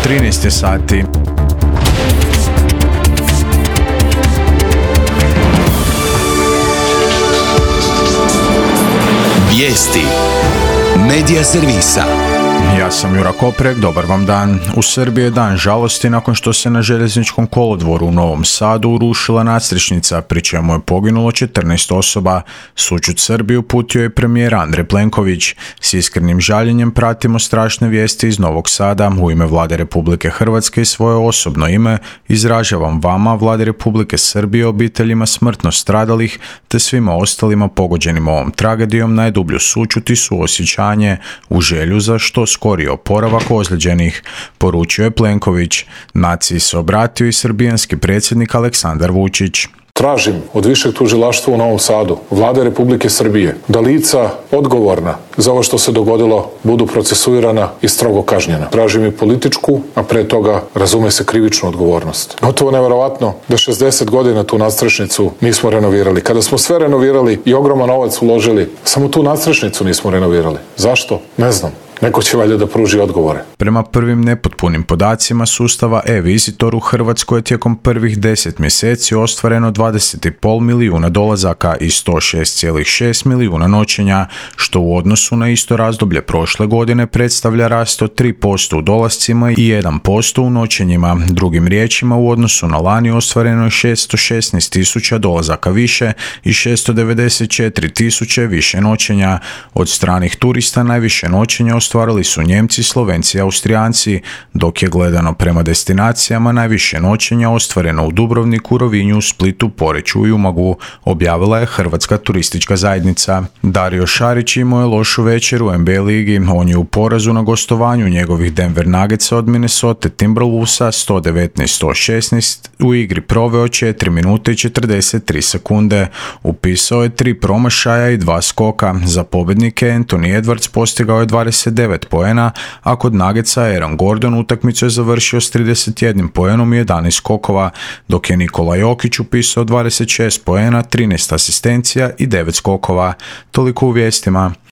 13 je sati. Vijesti Medija servisa. Ja sam Jura Koprek, dobar vam dan. U Srbiji je dan žalosti nakon što se na željezničkom kolodvoru u Novom Sadu urušila nadstrešnica, pri čemu je poginulo 14 osoba. Sućut Srbiji uputio je premijer Andrej Plenković. S iskrenim žaljenjem pratimo strašne vijesti iz Novog Sada. U ime Vlade Republike Hrvatske i svoje osobno ime izražavam vama, Vlade Republike Srbije, obiteljima smrtno stradalih te svima ostalima pogođenim ovom tragedijom najdublju sućut i suosjećanje u želju za što skoriji oporavak ozlijeđenih, poručio je Plenković. Naciji se obratio i srbijanski predsjednik Aleksandar Vučić. Tražim od Višeg tužilaštva u Novom Sadu, Vlade Republike Srbije, da lica odgovorna za ovo što se dogodilo budu procesuirana i strogo kažnjena. Tražim i političku, a pre toga, razume se, krivičnu odgovornost. Gotovo neverovatno da 60 godina tu nadstrešnicu nismo renovirali. Kada smo sve renovirali i ogroman novac uložili, samo tu nadstrešnicu nismo renovirali. Zašto? Ne znam. Neko će valjda da pruži odgovore. Prema prvim nepotpunim podacima sustava e-Visitor u Hrvatskoj je tijekom prvih 10 mjeseci ostvareno 20,5 milijuna dolazaka i 106,6 milijuna noćenja, što u odnosu na isto razdoblje prošle godine predstavlja rast od 3% u dolascima i 1% u noćenjima. Drugim riječima, u odnosu na lani ostvareno je 616 tisuća dolazaka više i 694 tisuće više noćenja. Od stranih turista najviše noćenja ostvarili su Njemci, Slovenci i Austrijanci, dok je gledano prema destinacijama najviše noćenja ostvareno u Dubrovniku, Rovinju, Splitu, Poreču i Umagu, objavila je Hrvatska turistička zajednica. Dario Šarić imao je lošu večer u NBA ligi. On je u porazu na gostovanju njegovih Denver Nuggetsa od Minnesota Timberwolvesa 119-116 u igri proveo 4 minute i 43 sekunde. Upisao je 3 promašaja i 2 skoka. Za pobjednike Anthony Edwards postigao je 29 poena, a kod Nuggetsa Aaron Gordon utakmicu je završio s 31 poenom i 11 skokova, dok je Nikola Jokić upisao 26 poena, 13 asistencija i 9 skokova. Toliko u vijestima.